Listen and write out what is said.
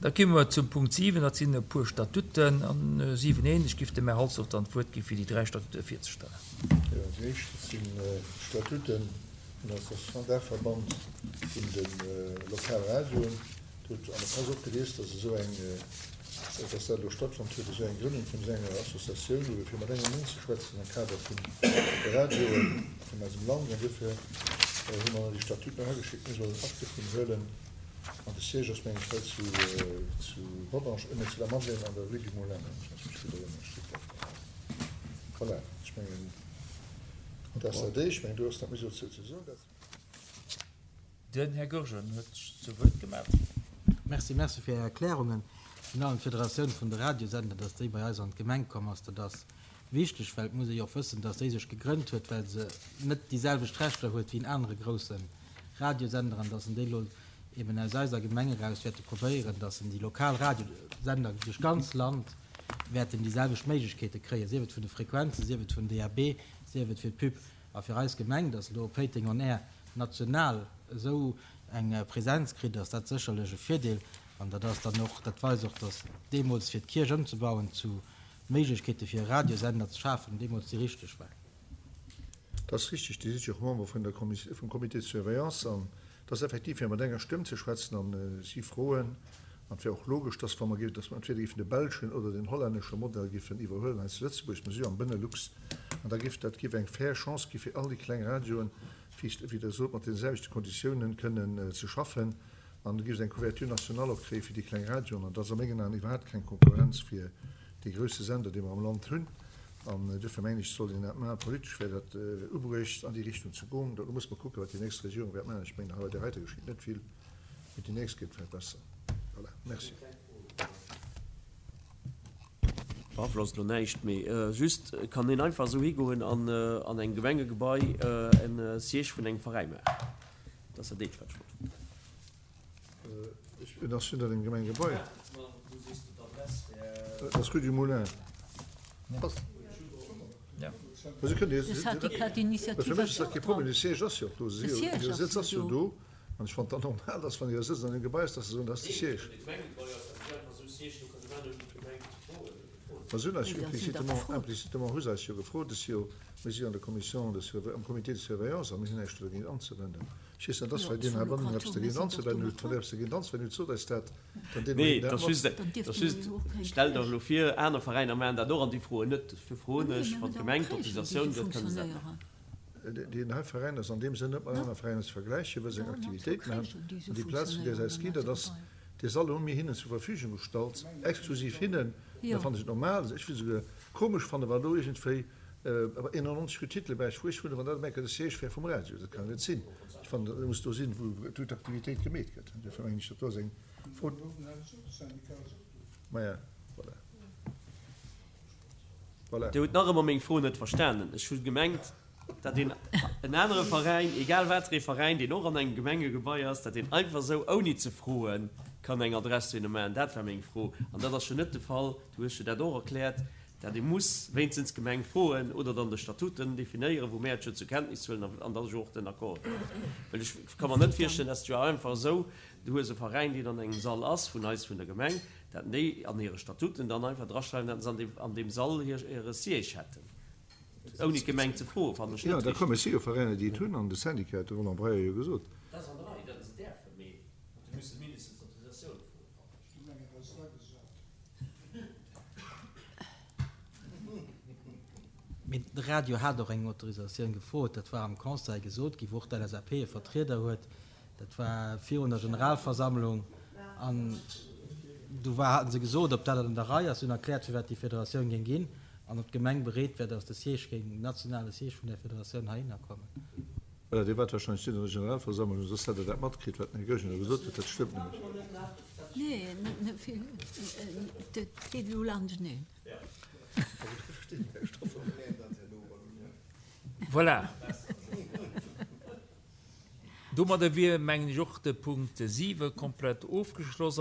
Da komme mer zum Punkt 7, dat sinn e puer Statuten. An 7 1, ech giff dem Här Halsdorf dann d'Wuert gi fir déi 3 Statute virzestellen. Jo, déi éischt, dat sinn d'Statute vun der Association Daachverband vun de Lokalradioen. Dir hutt an der Press och gelies, dass esou eng, dass dat elo stattfonnt huet, esou eng Grënnung vun esou enger Associatioun, ebe fir mat engem Mond ze schwätzen am Kader vun de Radioe vun eisem Land. An duerfir hu mer déi Statuten erageschéckt. Mir sollen Akt dovun huelen. An de Siège ass mengen ech hei zu zu Rodange, nee zu Lamadelaine an der Rue du Moulin, wann ech mech gutt erënneren, steet dat do. Voilà, ech mengen dat ass dat éischt. Ech mengen do ass net méi sou ze soen. Dat. Den Här Goergen huet sech zu Wuert gemellt. Merci, merci fir Är Erklärungen. Virun allem d'Federatioun vun de Radiosender, dass déi bei eis an d'Gemeng komm ass, dat ass wichteg, well et muss ee jo och wëssen, dass déi sech gegrënnt huet, well se net déi selwecht Rechter huet wéi en anere grousse Radiosender an dass en déi elo eben aus eiser Gemeng eraus wäerte probéieren, dass en déi lokal Radiosender duerch d'ganz Land wäerten déi selwecht Méiglechkeete kréien, sief et vun de Frequenzen, sief et vun DAB, sief et fir d'Pub. A fir eis Gemeng, dass elo Péiteng on Air national esou eng Präsenz kritt, ass dat sécherlech e Virdeel. An dat ass dann och, dat weist och, dass deemools fir d'Kierch ëmzebauen zu Méiglechkeete fir e Radiosender ze schafen, deemools déi richteg war. Dat ass richtig, Dir sidd jo och Member vun der Kommis-, vum Comité de surveillance an et ass effektiv fir mat enger Stëmm ze schwätzen an si froen, an et wär och logesch, dass wa mer géifen, dass mer entweder géifen de belschen oder den hollännesche Modell géifen iwwerhuelen hei zu Lëtzebuerg, mer si jo am Benelux, an da géif dat géif eng fair Chance gi fir all déi kleng Radioen, wéi, wéi Der sot, mat deene selwechte Konditiounen kënnen ze schaffen an da géif et eng Couverture nationale och kréie fir déi kleng Radioen an dat ass a mengen Aen iwwerhaapt keng Konkurrenz fir dee grousse Sender, dee mer am Land hunn. An duerfir mengen ech, sollt een dat maachen. Politesch wär dat ubruecht, an déi Richtung ze goen. Elo muss mer kucken, wat déi nächst Regierung wäert maachen. Ech mengen, hei bei där heiter geschitt net vill, mee déi nächst gëtt vläicht besser. Voilà, merci. Beaflosst elo näischt, mee just, Kann een einfach esou higoen an an engem Gemengegebai e Siège vun engem Veräi maachen? Dat ass dat eenzegt, wat ech wollt froen. Et ass net an engem Gemengegebai. Et ass Rue du Moulin. Fir mech ass dat kee Problem. De Siège ass jo och do. Hire Sëtz ass jo do. An ech fannen et dann normal, datt wann hire Sëtz an engem Gebai ass, datt se soen, dat ass de Siège. Ma se hunn eis jo implicitement, implicitement hu se eis jo gefrot. Et si jo, mir si jo an der Commission de surve-, am Comité de surveillance a mir hunn näischt do dergéint anzewenden. Ech weess net, ass vläicht een heibannen eppes dergéint anzewennen huet. Wann Der eppes dergéint anzewennen hutt, sot eis dat, dann deele mer Nee, Ihnen dat dat ass mat. just, dat ass just, stell der elo vir, aner Veräiner maachen dat och an déi froen net. Dofir froen ech, wann d'Gemeng d'Autorisatioun gëtt, kënne se dat maachen. Deen hei Veräin ass an deem Sënn net mat anere Veräiner ze vergläichen, well se eng Aktivitéit maachen. An déi Plaz, vun där se eis ginn, dat ass dee Sall hu mir hinnen zur Verfügung gestallt, exklusiv hinnen. Da fannen ech et normal, ech wéll souguer komesch fannen, wa elo iergendwéi 91 rue Titelberg, wou ech wunnen, wann dat op eng Kéier de Siège wär vum Radio. Dat kann jo net sinn. Ech fannen, dat muss do sinn, wou d'Aktivitéit gemeet gëtt. Duerfir mengen ech, dat do ass eng Fro. Maja, voilà. Voilà. Dir hutt nach ëmmer meng Fro net verstanen. Ech hu gemengt, datt een en anere Veräin, egal wat fir ee Veräin, deen och an engem Gemengegebai ass, datt deen einfach esou, ouni ze froen, kann eng Adress dohinner maachen. Dat war meng Fro. An dat ass jo net de Fall. Du hues jo dat och erkläert, datt ee muss wéinstens d'Gemeng froen oder dann de Statuten definéieren, wou mär et jo zur Kenntnis huelen an da jo och den Accord ginn. Well ech ka mer net virstellen, datt jo einfach esou, du hues e Veräin, deen an engem Sall ass vun eis, vun der Gemeng, datt déi an hire Statuten dann einfach draschreiwen, datt se an deem Sall hire Siège hätten, ouni d'Gemeng ze froen, fannen ech Jo, net da komme richteg. si jo Veräiner, déi et hunn, an de Syndicat huet de Roland Breyer jo gesot. Dat ass an der Rei, datt se däerfen, mee se musse mindestens d'Autorisatioun froen, fannen ech. Mee de Radio hat och eng Autorisatioun gefrot, dat war am Conseil gesot ginn, wou och d'LSAP e Vertrieder huet. Dat war virun der Generalversammlung an do war, haten se gesot, ob dat an der Rei ass. Si hunn erkläert, firwat déi Federatioun géing ginn an ob d'Gemeng bereet wär, datt de Siège géing, den nationale Siège vun där Federatioun heihinner kommen. Voilà, Dir waart wahrscheinlech net an der Generalversammlung, soss hätt Der dat matkritt, wat den Här Goergen elo gesot huet. Dat stëmmt nämlech. Nee, net vill. Dat geet elo laanschteneen. Voilà. Domadder wier, mengen ech, och de Punkt 7 komplett ofgeschloss.